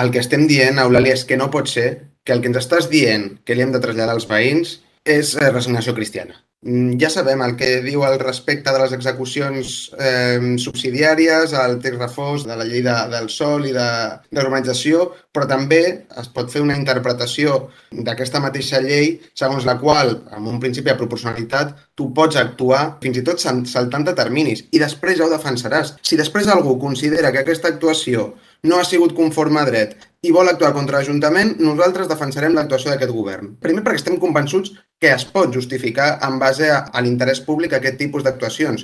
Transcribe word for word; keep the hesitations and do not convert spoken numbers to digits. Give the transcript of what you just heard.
El que estem dient, Eulàlia, és que no pot ser que el que ens estàs dient que li hem de traslladar als veïns és eh, resignació cristiana. Mm, Ja sabem el que diu al respecte de les execucions eh, subsidiàries, el text refós de la llei de, del sòl i de, de l'urbanització, però també es pot fer una interpretació d'aquesta mateixa llei segons la qual, amb un principi de proporcionalitat, tu pots actuar fins i tot saltant de terminis i després ja ho defensaràs. Si després algú considera que aquesta actuació no ha sigut conforme a dret i vol actuar contra l'Ajuntament, nosaltres defensarem l'actuació d'aquest govern. Primer perquè estem convençuts que es pot justificar en base a, a l'interès públic aquest tipus d'actuacions.